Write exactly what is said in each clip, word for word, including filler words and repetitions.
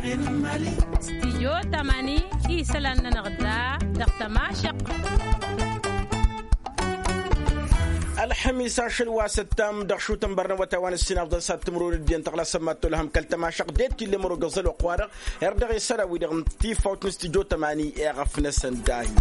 Stijyo tamani isălan-nănăɣ da dăɣ-tămašăq. Ălxămis ašăl wa săttam dăɣ-šutăn bărnăwăt a-wa n-ǝssin afḍăn s-ad-tǝmrun ǝddin tăɣlasăn ma t-olhăm kăl-tămašăq d-e t-illa ămrog ăẓăl wa ăqwa-dăɣ. Erdăɣ isălan-wi-dăɣ n-tifawt n-stijyo tamani eɣăf-năsăn dahi.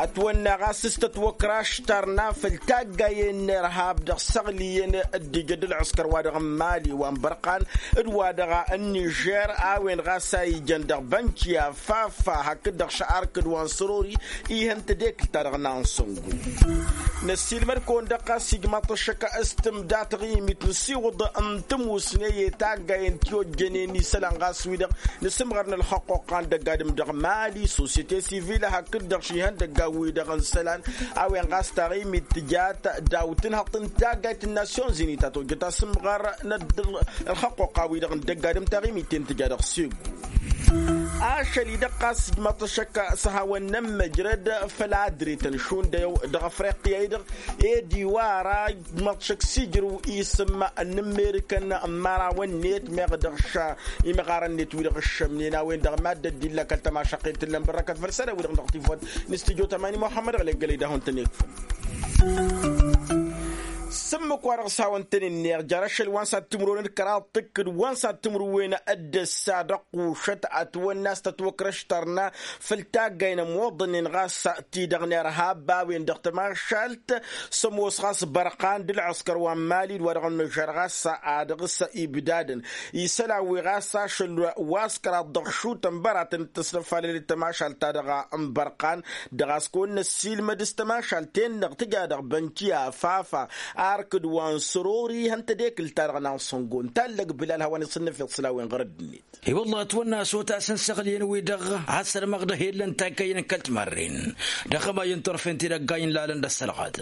Ătwănna ɣas s-tătwăkraš tarna făll-taggayen n-irhab dăɣ-săɣliyăn dd-ija d-ălɣǝskăr wa dăɣ-n mali wa n-bărqan d-wa dăɣ-n nižer a-wen ɣas a ijăn dăɣ-bănkiya fafa hakd-dăɣ šăr arkǝd wa n-sărori. Ihăn tedekǝlt-ta-dăɣ n-ansăngu. Năssiilmăd-kăwăn-dăɣ ɣas ijmaḍ-t ăššăk s-tǝmda taɣimit nǝsiwǝḍ n-tămusne i-taggayen ti ojjănen isălan ɣas wi-dăɣ nǝsǝmɣăr n-ălxăqquqqa n-dăgg-adǝm dăɣ-mali sosyete sivil hakd-dăɣ šihăndăgga-wi-dăɣ n-isălan. A-wen ɣas taɣimit tǝjat daw-tǝnhăḍt n-taggayt n-nasyon zini ta tojjăt asǝmɣăr n-ălxăqquqqa-wi-dăɣ n-dăgg-adǝm taɣimit-ten tǝja dăɣ-segu. Ašăl-i-dăɣ ɣas ǝjmăḍ-t ăššăk s-hawăn-nămmăjrăd făll-adret n-šund dăɣ-afriqya-i-dăɣ ed iwara ǝjmăḍ-t ăššăk s-ijrǝw isǝm n-ǝmmerǝkăn n-imărawăn-net meɣ dăɣ-š imɣarăn-net wi-dăɣ ǝššămnen a-wen-dăɣ mad-dd-illa kăl-tămašăqqen t-ǝllăn bărrăkăt făll-isălan-wi-dăɣ dăɣ-tifawt n-studyo tamani muhammad ăɣley gălăy d-ad-hawăn-tăn-ikfăn. S-ǝmmǝk wa dăɣ-s hawăn-tăn-ǝnneɣ jer-ašăl wa n-sad-timǝrwen d-kăraḍ tǝkkǝd wa n-sad-timǝrwen d-ǝssa dăɣ-kušăt ătwănna s-tătwăkrăš tărna făll-taggayn ămoḍănen ɣas ti-dăɣ n-irhab a-wen-dăɣ tămašalt s-ămoos ɣas bărqan d-ălɣǝskăr wa n-mali d-wa dăɣ-nǝžer ɣas a dăɣ-s ibdadăn isălan wi ɣas ašăl wa s-kăraḍ dăɣ-šutăn băratăn d-tăsnăfalăl d-tămašalt-ta-dăɣ n-bărqan. Dăɣ-a-s kăwăn-năssiilmăd s-tămašalt-en-dăɣ tǝja dăɣ-bănkiya fafa arkǝd wa n-sărori ihăn tedekǝlt-ta-dăɣ n-ansăngo n-tallăg bilal hawăn-isǝnnăfeḍ săl-a-wen ɣur-ăddinăt. I-wălla ătwănna a-s otasăn săɣliyăn-wi-dăɣ a sărmăɣ dăh-e ǝllăn taggăyăn n-kăl-timarren dăɣ-hămayăn turfen tidăggayen lalăn d-ăssălɣat.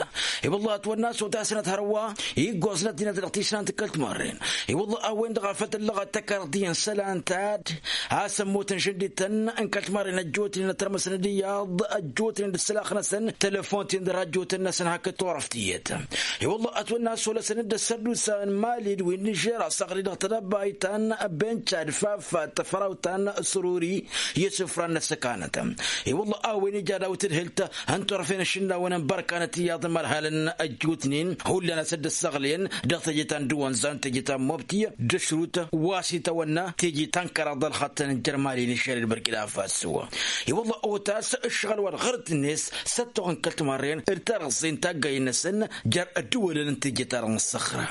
I-wălla ătwănna a-s otasăn ad-hărwa iggoẓ n-ăddinăt dăɣ-tisnant n-kăl-timarren. I-wălla a-wen-dăɣ a făl tǝllăɣăt tăkarḍi n-isălan ta a-s ămmutăn šăndităn n-kăl-timarren ăjjootnen ătrămăsăn d-iyyăḍ ăjjootnen d-ǝssǝlax-năsăn telefon-ten d-rajjotăn-năsăn hakd turăft tiyyăt. I-wălla ătwănna a-s olăsăn-dd ăssărdusa n-mali d-wi n-nižer asăɣri dăɣ-tedăbayt ta n-benca d-fafat tăfrawt ta n-săruri i-isǝfran n-ăssăkanăt. I-wălla a-wen ija daw-tǝdhǝlt n-turăfen ašǝnnawăn n-bărkanăt iyyăḍ n-imărhalăn ăjjootnen hullan a-s dd-ăssăɣlăyăn dăɣ-teje ta n-dăwănza n-teje ta n-mobti d-ašrut wa s-itawănna teje ta n-kăraḍ ălxăṭṭăn n-jer-mali n-išăr d-bărkina faso. I-wălla otas ǝššăɣǝl wa dăɣ-ɣărăt-net s-ăttoɣăn kăl-timarren d-tarăẓẓe n-taggay-năsăn jer-ăddǝwălăn n-teje-ta-dăɣ n-ăssăxra.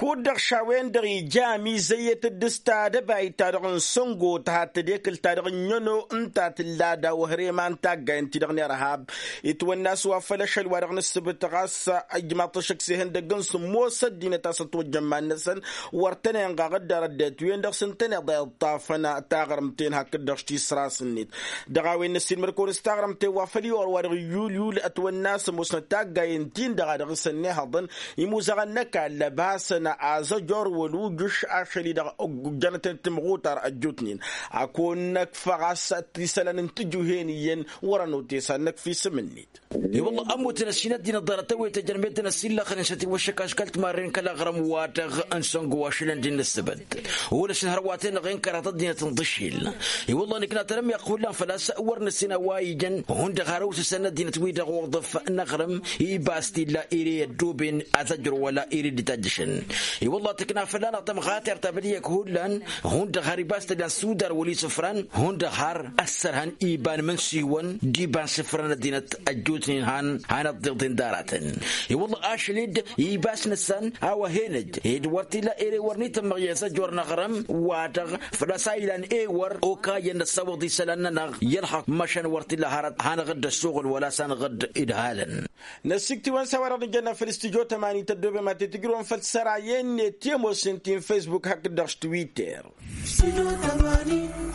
Kud-dăɣ šawen-dăɣ ija amizăyyăt d-s tadăbayt-ta-dăɣ n-săngo tăhat tedekǝlt-ta-dăɣ n-ănno ǝnta tǝlla daw-hărema n-taggay ǝnta-dăɣ n-irhab. Itwănna a-s wa făll-ašăl wa dăɣ-nǝssǝbǝt ɣas ăjmaḍ-t ăššăk s-ihăndăgg n-sǝmmos ăddinăt a-s ătwăjjăn iman-năsăn wăr tăn-inɣaɣ dd-arăddăt-wen-dăɣ s-ǝntăneḍ a iṭṭafăn taɣrǝmt-en hakd-dăɣ s-tisras-net. Dăɣ-a-wen năssiilmăd-kăwăn s-taɣrǝmt-en wa făl iwăr wa dăɣ-iyyulyul ătwănna a-s ămoosnăt taggayen-tin-dăɣ a dăɣ-s ănnihăḍăn imuzăɣăn n-ăkall ăbhasăn azăjor wăl-ujǝš ašăl-i-dăɣ ǝjjănăt-en timɣutar ăjjootnen. A kăwăn-năkf ɣas isălan n-tijuhen iyyăn wăr-ănotesăn năkf isǝm-net. I-wălla ămmutăn ăssinăt din ăḍḍarăt tăwwet ăjrămet-tăn ăsillăxnen s-ătiwăššăk aškăl timarren kăl-aɣrǝm-wa-dăɣ n-săngo ašălăn d-innă ǝssǝbăt. Wăla s-inhărwaten-dăɣ i-n kăraḍ ăddinăt n-ḍǝšil. I-wălla nǝkna tărămmiɣt hullan făl-a-s wăr nǝssin a-wa ijăn hundăɣ har ăwsǝsăn ăddinăt wi-dăɣ uḍǝf n-aɣrǝm ibas t-illa ere i-ăddoben azăjjăr wăla ere dd-itajjăšăn. I-wălla tǝkna fălla-năɣ tămɣatert ta băd iyyăk hullan hundăɣ har ibas t-ăllan sudar wăla isǝfran hundăɣ har ăssărhăn iba n-imǝnsiwăn d-iba n-isǝfran ăddinăt ăjjootnen han han ăḍḍeḍen d-aratăn. I-wălla ašăl-dd ibas-năsăn a-wa hen-ăj ed wăr t-illa ere wăr n-itǝmmăɣ i-azăjjor n-aɣrǝm-wa-dăɣ făl-a-s a ilan ewăr okayăn năssawăḍ isălan-nănăɣ i-ălxăqq măšan wăr t-illa hărăt hanăɣ-dd-ăssuɣǝl wăla s-anăɣ-dd-idhalăn. Năssikt'-iwăn s-a-wa-dăɣ nǝjănna făll-studyo tămani tăddobem ad-t-tǝjrǝwăn făll-săra i-enne ti ămoosnen ti n-fesbuk hakd-dăɣ s-twitter.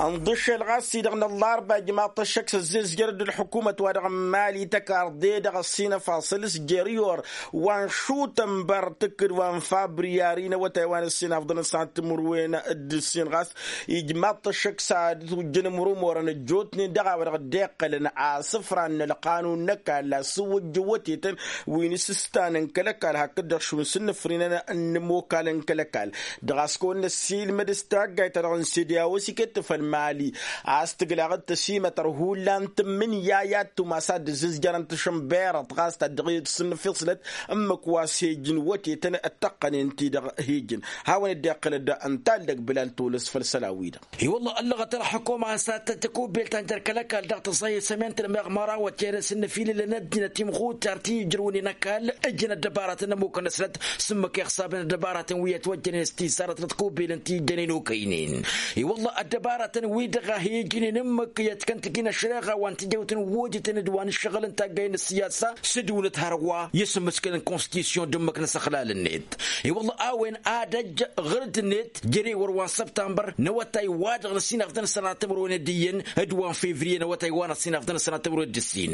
Ănḍǝšel ɣas-i-dăɣ n-ăllarba ijmaḍ-t ăššăk s-ăzzezjăr-dd ălḥukumăt-wa-dăɣ n-mali tăkarḍe dăɣ-ăssinăfaṣăl s-jer-iwăr wa n-šutănbăr tǝkkǝd wa n-fabriyari n-awătay wa n-ǝssin afḍăn n-sănat timǝrwen d-ǝssin ɣas ijmaḍ-t ăššăk s-ad-ujjăn ǝmrumorăn ăjjootnen dăɣ-a-wa-dăɣ dd-iqqălăn asǝfra n-ălqanun n-ăkall asǝwwăjjăwătetăn wi n-asǝstan n-kăl-ăkall hakd-dăɣ šund s-ǝnnǝfrinăn. n-ămokal n-kăl-ăkall. Dăɣ-a-s kăwăn-năssiilmăd s-taggayt-ta-dăɣ n-sediya a-wa s-iket făll-mali a-s tǝglaɣ d-tăsimătăr hullan tǝmmǝnǝya i-ad-tumas ad-dd-ǝzzǝzjărăn tašǝnberăḍt ɣas ta dd-ăɣ-e-d s-ǝnnăfiṣlăt ǝmmǝk wa s-hejǝn wătetăn d-tăqqănen-ti-dăɣ hejǝn. Hawăn-dd-iqqǝlăd ǝnta ăldăg bǝlal tolăs făll-isălan-wi-dăɣ. I-wălla ăllăɣăt ălxukuma s-ad-tăt-tăkubbelt ta n-jer-kăl-ăkall dăɣ-tăẓẓayăt sămintăl meɣ mărawăt i-ad-ăsǝnnăfilǝlăn ăddinăt imɣutar ti ǝjrăwăn i-năkall ǝjǝn ăddăbarătăn n-ămmukăn-năsnăt s-ǝmmǝk iɣsabăn ăddăbarătăn wi ătwăjjănen s-tizzarăt n-ătkubbelăn ti ǝjjănen okăynen. I-wălla ăddăbarătăn-wi-dăɣ a hi-ǝjǝnen ǝmmǝk i-ad-kăn-tǝjǝn ăššăreɣa wa n-tijăwt n-wojǝtăn d-wa n-ǝššăɣǝl n-taggay n-ăssiyasa s-ǝdǝwnăt hărwa i-asǝmmǝskăl n-konstitusyon d-ǝmmǝk n-asăxlal-net. I-wălla a-wen ad-ăjj ɣǝr-dd-net jere wăr wa n-săbtămbăr n-awătay-wa-dăɣ n-ăssinafḍăn sănatămărwen d-iyyăn d-wa n-fevriye n-awătay wa n-ăssinafḍăn sănatămărwen d-ǝssin.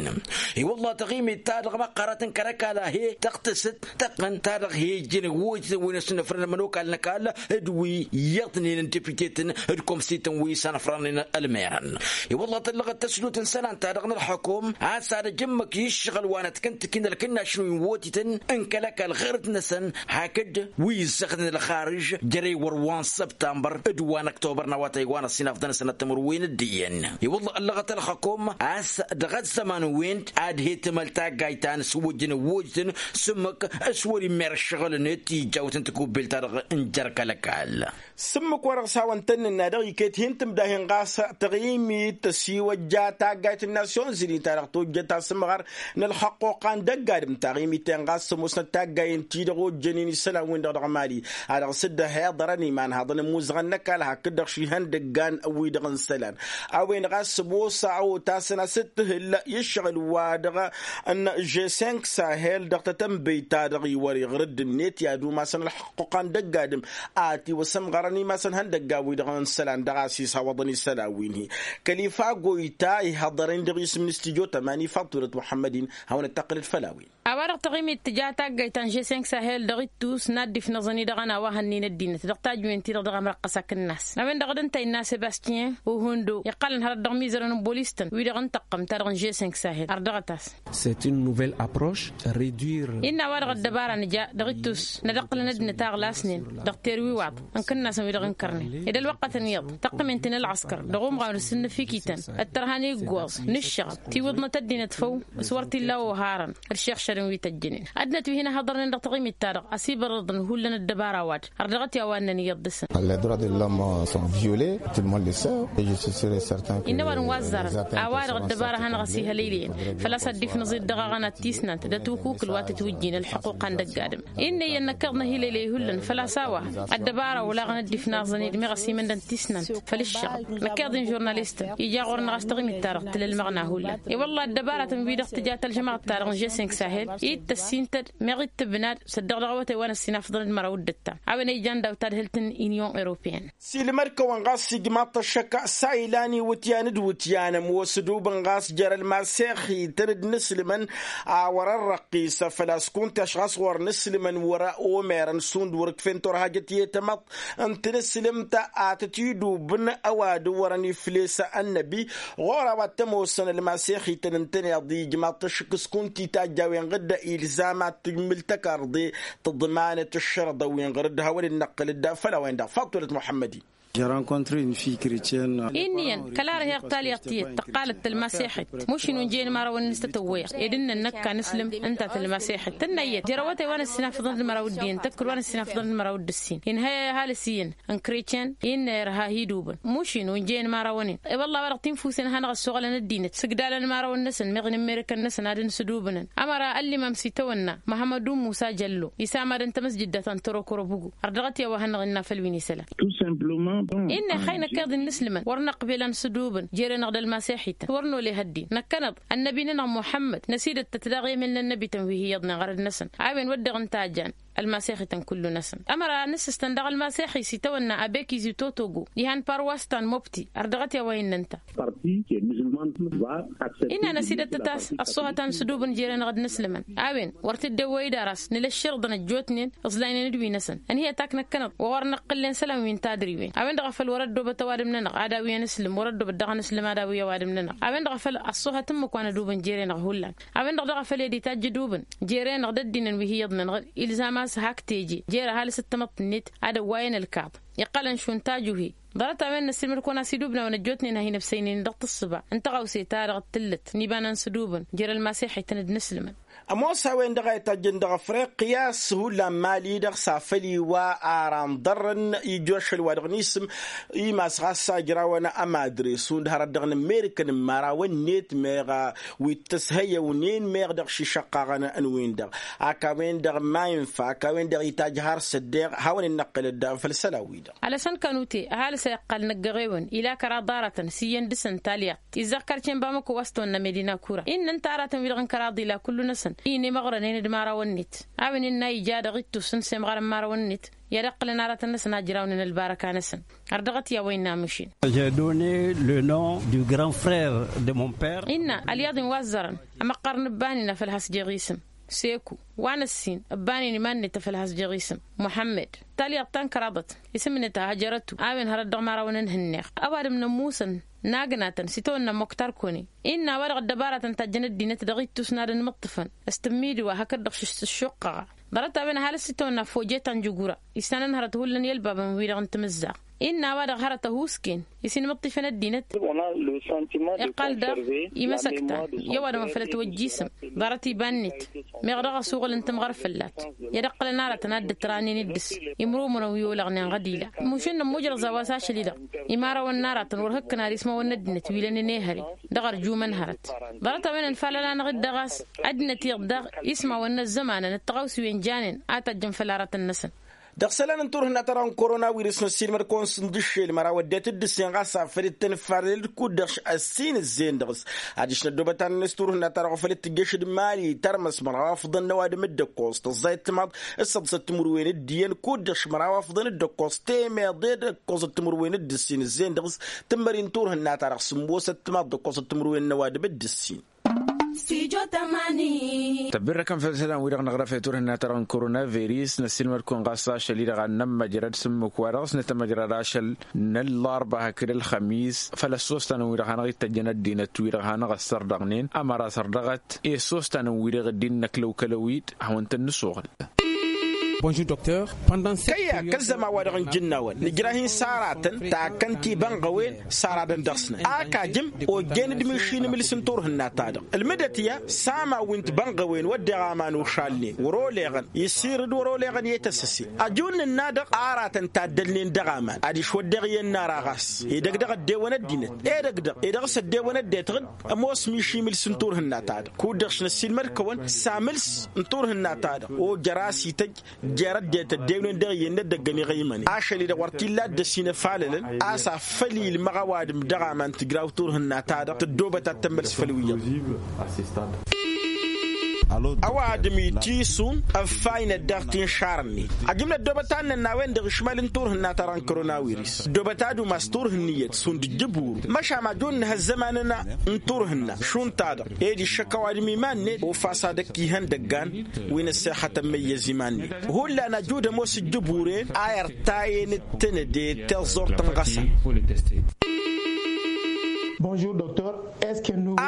I-wălla taɣimit-ta-dăɣ măqqărăt n-kăr-ăkall a he-tăɣtǝsăt tăqqăn ta dăɣ-he-ǝjjǝn ăwwojǝtăn wi n-asǝnnăfrăn ămănokal n-ăkall d-wi iyyăḍnen n-deputetăn d-komsităn wi s-anăfranen ălmerăn. I-wălla tăllăɣăt tăslut n-isălan-ta-dăɣ n-ălxukum a-s ad-ăj ǝmmǝk i-ǝššăɣǝl wa n-ătkăntǝk-in ălkǝnnaš n-wi n-wotităn n-kăl-ăkall ɣărăt-năsăn hakd wi ǝzzăɣnen ălxarǝž jere wăr wa n-săbtămbăr d-wa n-ăktobăr n-awătay wa n-ăssinafḍăn-năsăn ăttămăr-wen d-iyyăn. I-wălla ăllăɣăt ălxukum a-s dăɣ-ăzzăman-wen ad-he-tǝmăl taggayt ta n-asǝwwǝjjǝn ăwwojǝtăn s-ǝmmǝk s-wăr-immăr ǝššăɣǝl-net ijjawt n-tikubbelt-ta-dăɣ n-jer-kăl-ăkall. S-ǝmmǝk wa dăɣ-s hawăn-tăn-nǝnna dăɣ-iket hin-tǝmdahen ɣas taɣimit tăsiwăjja taggayt n-nasyon zǝni ta dăɣ-tojjăt asǝmɣar n-ălxăqquqa n-dăgg-adǝm taɣimit-en ɣas ămoosnăt taggayen-ti-dăɣ ojjănen isălan-win-dăɣ dăɣ-mali a dăɣ-s dd-ăhiḍărăn iman haḍăn ămuzăɣăn n-ăkall hakd-dăɣ šihăn dăggan wi-dăɣ n-isălan. A-wen ɣas ămoos a otasăn a-s dd-tǝhǝl i-ǝššăɣǝl-wa-dăɣ n-žesink sahel dăɣ-tătănbăy-ta-dăɣ iwăr iɣrǝd-net i-ad-umasăn ălxăqquqa n-dăgg-adǝm a tiwăsămɣărăn imasăn ihăndăggan-wi-dăɣ n-isălan dăɣ-a-s ishawăḍăn isălan-win-hi. Kăl-ifa goyta ihăḍărăn dăɣ-isǝm n-studyo tămani faḍt wălăt muḥămmăd-in hawăn-dd-tăqqǝlăd făll-a-wen. A-wa-dăɣ taɣimit tǝja taggayt ta n-žesink sahel dăɣ-ittus n-ad-dd-ifnăẓăn-i dăɣ-ănn a-wa hănnen ăddinăt dăɣ-tajǝwen-ti-dăɣ dăɣ-amrăqqăs akǝnnas a-wen-dăɣ dd-ǝnta innă sebastyen uhundo iqqălăn hărăt dăɣ-imizărăn n-bolis-tăn wi-dăɣ n-tăqqăm ta dăɣ-n žesink sahel ărdăɣăt-as. C'est une nouvelle approche. Réduire. Innă a-wa dăɣ-ăddăbara nǝja dăɣ-ittus n-ad-ǝqqǝlăn ăddinăt a ăɣlasnen dăɣ-terwiwaḍ n-kǝnnasăn wi-dăɣ ǝnkărnen ed ălwăqqătăn iyyăḍ tăqqǝmen-ten ălɣăskăr dăɣ-umɣaw n-asǝnnăfikităn ăttărha n-iggoẓ n-ǝššăɣăb tiwǝḍnăt ăddinăt făw s-wăr t-illa oharăn d-išixšădăn wi tăjjănen ăddinăt wi hin-ăhhăḍărnen dăɣ-taɣimit-ta-dăɣ ăsibărrăḍăn hullan ăddăbara-wa-dăɣ har dăɣ-t i-a-wa ǝnnăn iyyăḍ dăɣ-săn. Les droits de l'homme sont violés, tout le monde le sait et je suis sûr et certain que innă ăwadǝm wa ăzzarăn a-wa-dăɣ ăddăbara a hanăɣ-ăsihălăylăyăn făl-a-s ad-dd-ifnăẓ-dd dăɣ-aɣăna d-tisnant d-ătukukǝl wa tătwǝjjin ălḥuquqa n-dăgg-adǝm. Innă iyyăn năkk iḍnăhilăylăy hullan făl-a-s a-wa ăddăbara olaɣăn dd-ifnaẓăn-dd meɣ ăsimăndăn tisnant făll-ǝššăɣǝl năkk iḍ n-žurnalistăn ija ɣur-năɣ a-s taɣimit-ta-dăɣ tǝla ălmăɣna hullan. I-wălla ăddăbaratăn-wi-dăɣ tǝja tălžămaɣt-ta-dăɣ n-žesink sahel ittăs intăd meɣ ittǝbnad săddăɣ dăɣ-awătay wa n-ăssinafḍăn d-măraw d-ǝttam a-wen a ijan daw-tadhǝlt n-inyon europeyăn. Silmăd-kăwăn ɣas ijmaḍ-t ăššăk s-a ilan iwǝtyan d-iwǝtyan ămoos ădubǝn ɣas jer-ălmasexităn d-inǝslǝmăn a wăr-ărrăqqis făl-a-s kunta ăšɣas ɣur-inǝslǝmăn wăr-omerăn šund wăr-ǝkfen turhajăt i-tamăḍt n-tinǝslǝmt a tăt-idubǝn ăwadǝm wărăn ifles ănnăbi. Ɣur-a-wa t-ămoosăn ălmasexităn ǝntăneḍ ijmaḍ-t ăššăk s-kunta itajj a-wen ɣǝdda ilzam ad-tǝjmǝl tăkarḍe tǝḍmanăt ǝššărăḍăn wi n-ɣǝr-dd hawăn-dd-năqqǝl dd-făll-a-wen-dăɣ faḍt wălăt muḥămmăd-in. J'ai rencontré une fille chrétienne. Innă iyyăn kăla ărheɣ talyaḍt tiyyăt tăqqalăt tălmasexit mušin unjăyăn imărawăn-nǝs tătăwwăyăɣ ed ǝnnăn năkk a nǝslǝm ǝnta tălmasexit tǝnna iyyăt jer-awătay wa n-ăssinafăḍăn d-măraw d-iyyăn tăkkăl wa n-ăssinafăḍăn d-măraw d-ǝssin inhăy ăhalǝs iyyăn n-kretyen innă irha hi-idubǝn mušin unjăyăn imărawăn-in. I-wălla a-wa-dăɣ tinfusen a hanăɣ-ăssoɣălăn ăddinăt s-ǝgdalăn imărawăn-năsăn meɣ n-ămmerǝkăn-năsăn ad-ănǝsǝdubǝnăn ămăra ăllimam s-itawănna măhămmădu musa jăllo isamadăn tamăsjǝdda ta n-tărokorobugu. Ărdăɣăt i-a-wa hannăɣ-innă făll-wi n-isălan. Innă ixay năkk iḍ innă ǝslǝmăn wăr năqbel ad-nǝsǝdubǝn jere-năɣ d-ălmasexităn wăr noleh ăddin năkkănăḍ ănnăbi-nănăɣ muḥămmăd năsidăt-tăt daɣ i-emel n-ănnăbităn wi hi-iyyăḍnen ɣărăd-năsăn. A-wen wădden ǝnta a jan ălmasexităn kullu-năsăn ămăra nǝssǝstăn daɣ ălmasexi s-itawănna abek izi totogo diha n-parwas ta n-mobti. Ărdăɣăt i-a-wa innă ǝnta. Innă năsidăt-tăt a-s ăṣṣuhăt a nǝsǝdubǝn jere-năɣ d-inǝslǝmăn. A-wen wăr t-dd-ewwăy d-aras nǝla ǝššărǝḍăn ăjjootnen ǝẓlaynen d-wi-năsăn ănhǝyăt ak năkkănăḍ wa wăr nǝqqǝllen isălan wi n-tadriwen. A-wen-dăɣ a făl wăr-ăddobăt ăwadǝm-nănăɣ ad-awi anǝslǝm wăr-ăddobăt daɣ anǝslǝm ad-awi ăwadǝm-nănăɣ. A-wen-dăɣ a făl ăṣṣuhăt ǝmmǝk wa nădubǝn jere-năɣ hullan. A-wen-dăɣ a făl ed itajj idubǝn jere-năɣ d-ăddinăn wi hi-iyyăḍnen ɣǝr ilzam. a-s hak teje jer-ăhalǝs d-tamăḍt-net ad-ăwwayăn ălkaḍ. Iqqălăn šund tajuhe ḍarăt-a-wen n-ăssiilmăd-kăwăn a-s idubnawăn ăjjootnen ad-hin-ăbsăynen dăɣ-tǝssǝba n-taɣawse-ta-dăɣ d-tǝllǝt n-iba n-ănsǝdubǝn jer-ălmaseḥetăn d-inǝslǝmăn. Ămoos a-wen-dăɣ a itajjăn dăɣ-afriqya s-hullan mali-dăɣ s-afăl iwa ara n-iḍarrăn ijju ašăl wa dăɣ-nisǝm imas ɣas ajrawăn ămadre šund hărăt dăɣ-nǝmmerǝkăn n-imărawăn-net meɣ wi t-ăshăyăwnen meɣ dăɣ-šišăqqaɣăn n-win-dăɣ. Ak a-wen-dăɣ ma infa ak a-wen-dăɣ itajj har s-ăddeɣ hawăn-in-năqqǝlăt daɣ făll-isălan-wi-dăɣ. Alăsăn kănute ăhalǝs a iqqal năggăɣewăn ila kăraḍ aratăn s-iyyăn dăɣ-săn talyaḍt izzăɣ karcen bamăko wa s-tăwănna medina kura innă ǝnta aratăn-wi-dăɣ n-kăraḍ ila kullu-năsăn i-inemăɣrănen d-imărawăn-net. A-wen innă a ija dăɣ-ittus n-semɣar n-imărawăn-net i-ad-ǝqqǝlăn aratăn-năsăn a ǝjrawnen ălbarăka-năsăn. Ărdăɣăt i-a-wa innă amušin. J'ai donné le nom du grand frère de mon père. Innă ălyaḍ-in wa ăzzărăn ămăqqăr n-ǝbbanen afăl has-jeɣ isǝm seku wa n-ăssin ǝbbanen iman-net afăl has-jeɣ isǝm muḥămmăd. Talyaḍt ta n-kăraḍăt isǝm-net hăjărătu a-wen hărăt dăɣ-imărawăn n-ihǝnneɣ. Ăwadǝm n-ămmusăn n-agnatăn s-itawănna moktar kone innă a-wa-dăɣ ăddăbaratăn tajjăn ăddinăt dăɣ-ittus n-ad-ănmǝṭṭǝfăn s-tǝmmidǝwa hakd-dăɣ šǝššuqqăɣa. Ḍarăt-a-wen ăhalǝs s-itawănna foje ta n-jugura issanăn hărăt hullan i-ălbabăn-wi-dăɣ n-timǝzzaɣ. Innă a-wa-dăɣ hărăt ăhuusken isinmǝṭṭifăn ăddinăt. Iqqal daɣ imăsăktan i-ăwadǝm a făl ătwăjjisăm ḍarăt iba-net meɣ dăɣ-ăsuɣǝl n-timɣăr fălla-t i-ad-ǝqqǝlăn aratăn ad-dd-ătranen d-dăɣ-s imrumǝnăn wi olăɣnen ɣădila. Mušǝnnăm mujrăẓ a-wa s-ašăl-i-dăɣ imărawăn n-aratăn wăr hǝkkǝn ar ismawăn n-ăddinăt wi lănen ehăre. Dăɣ-ărjumăn hărăt ḍarăt-a-wen ănfalăl-anăɣ-dd dăɣ-a-s ăddinăt-i-dăɣ ismawăn n-ăzzămanăn d-taɣawsiwen janen a tajjăn făll-aratăn-năsăn. Dăɣ-isălan n-turhǝnna-ta-dăɣ n-korona wirǝs n-ăssiilmăd-kăwăn s-ǝndǝššel măraw ăddinăt d-ǝssin ɣas afăl dd-tănfalăl kud-dăɣ ăssin ǝzzeyăn dăɣ-s. Adiš n-ăddoobăt ad-nănăs turhǝnna-ta-dăɣ făl dd-tǝjjăš d-imali tarmăs măraw afḍăn n-ăwadǝm d-ǝkkoẓ tăẓẓayăt timaḍ s-săḍsăt timǝrwen d-iyyăn kud-dăɣ măraw afḍăn d-ǝkkoẓ temeḍe d-ǝkkoẓăt timǝrwen d-ǝssin ǝzzeyăn dăɣ-s. Tǝmmări n-turhǝnna-ta-dăɣ sǝmmosăt timaḍ d-ǝkkoẓăt timǝrwen n-ăwadǝm d-ǝssin. Tăbbirrăkăn făll-isălan-wi-dăɣ năɣrăf i-turhǝnna-ta-dăɣ n-koronavirus năssiilmăd-kăwăn ɣas ašăl-i-dăɣ ad-nămmăjrăd s-ǝmmǝk-wa-dăɣ s-nătămăjrăd ašăl n-ăllarba hakd ălxămis făll-ăssostanăn-wi-dăɣ hanăɣ-ittăjjăn ăddinăt-wi-dăɣ hanăɣ-ăssărdăɣnen ămăra sărdăɣăt i-ăssostanăn-wi-dăɣ dd-innăklăw kăl-ăwid hawăn-tăn-nǝsuɣǝl. Kăyy-ak ăzzăman-wa-dăɣ n-ijǝnnawăn nǝjrah-in s-aratăn takkăn tibănɣăwen s-aradăn dăɣ-snăt ak ajǝm ojjen d-mišin imǝls n-turhǝnna-ta-dăɣ ǝlmǝdăt ya s-aman wi n-tibănɣăwen wădden aman ošalnen wăr-oleɣăn isirǝd wăr-oleɣăn i-tăsăse. Ăjun nǝnna-dăɣ aratăn taddălnen dăɣ-aman adiš wădden iyyăn n-ara ɣas edăgg dăɣ-ăddewăn ăddinăt edăgg dăɣ-edăɣ s-ăddewăn ăddinăt ăddinăt ămoos miši imǝls n-turhǝnna-ta-dăɣ kud-dăɣ šnăssiilmăd-kăwăn s-amǝls n-turhǝnna-ta-dăɣ ojăr a-s ităjj jer-ăddinăt ăddewnen dăɣ-iyyăn n-edăgg ăniɣăymănen ašăl-i-dăɣ wăr t-illa a dd-ăsinăfalălăn a-s afăl ilmăɣ ăwadǝm dăɣ-aman tǝjraw turhǝnna-ta-dăɣ tǝddoobăt ad-tămmăls făll-wi-iyyăḍ. Ăwadǝm itisun ăffaynăt daɣ tinšarăn-net ajǝm n-ăddoobăt ad-nănn a-wen-dăɣ išmal n-turhǝnna-ta-dăɣ n-koronawiris ăddoobăt ad-umas turhǝnni iyyăt šund ǝjjǝburu măšan ajun n-ihăzzămanăn n-turhǝnna šund ta-dăɣ ed iššăk ăwadǝm iman-net ofas ad-ăkk ihăndăggan wi n-ăssexătăn măyyăz iman-net. Hullan ajud ămoos ǝjjǝburen a irtayen d-tǝnǝdet tiẓẓurt n-ɣăsăn.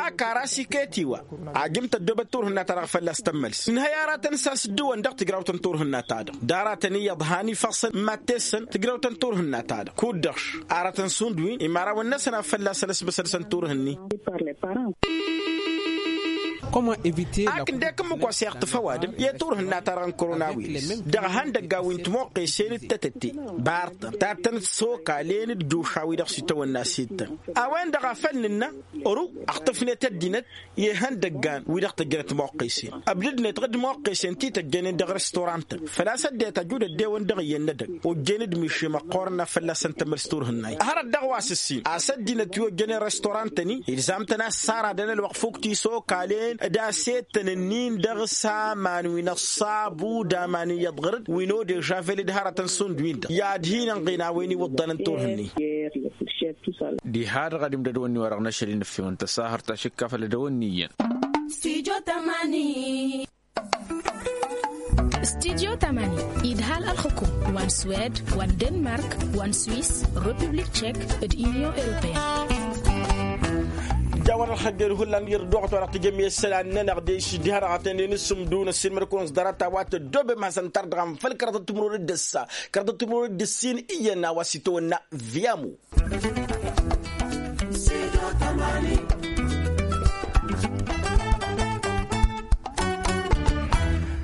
Akar a-s iket-i wa ajǝm tăddoobăt turhǝnna-ta-dăɣ fălla-s tămmăls ǝnhăy aratăn s-a-s dd-ǝwwăn dăɣ-tǝjrawt n-turhǝnna-ta-dăɣ d-aratăn iyyăḍ han ifăṣṣăn mad-tessăn tǝjrawt n-turhǝnna-ta-dăɣ kud-dăɣ aratăn šund wi n-imărawăn-năsăn a fălla-săn ăsmăsăd-săn turhǝnni. Ak ǝndek ǝmmǝk wa s-iɣtǝf ăwadǝm i-turhǝnna-ta-dăɣ n-koronawiris dăɣ-ihăndăggan wi n-timoqqesen d-tetătte bartăn tattăn d-sokalen d-juša-wi-dăɣ s-itawănna s-ittăn a-wen-dăɣ a făl nǝnna ăru ăɣtǝfnet ăddinăt i-ihăndăggan wi-dăɣ tăjjănăt timoqqesen ăbdǝdnet ɣǝd timoqqesen ti tăjjănen dăɣ-restorantăn făl-a-s ăddinăt ăjud ăddewăn dăɣ-iyyăn n-edăgg ojjen d-mišim ăqqoorăn a fălla-săn tămăls turhǝnna-i hărăt dăɣ-wa s-ǝssin a-s ăddinăt wi ojjănen restorantăn-i ilzam-tăn a ăssaradăn ălwăqq fukk tisokalen d-asettăn-ǝnnin dăɣ-s aman wi n-ăṣṣabu d-aman iyyăḍ ɣăr-dd wi n-odežavel d-hărătăn šund-win-dăɣ i-ad-hin-ănɣen a-wen iwǝḍḍănăn turhǝnni. Diha-dăɣ ad-imdădăwăn-ni-wa-dăɣ n-ašăl-i n-ǝfhimăn tăsahărt tašǝkkafăl ad-dăwăn-ni iyyăn. Studyo tamani idhal ălxǝkum wa n-swed wa n-denmark wa n-swis republik tšek d-inyon europeyăn. Jawăn ălxăjjăr hullan irduɣăt wa dăɣ-tijămmi isălan-nănăɣ de-s diha-dăɣ a tăn-in-ǝssǝmdun ăssiilmăd-kăwăn s-dărat a-wa tăddoobem hasăn-tar-dăɣ anfăl kăraḍăt timǝrwen d-ǝssa kăraḍăt timǝrwen d-ǝssin iyyăn a-wa s-itawănna. Viyamu.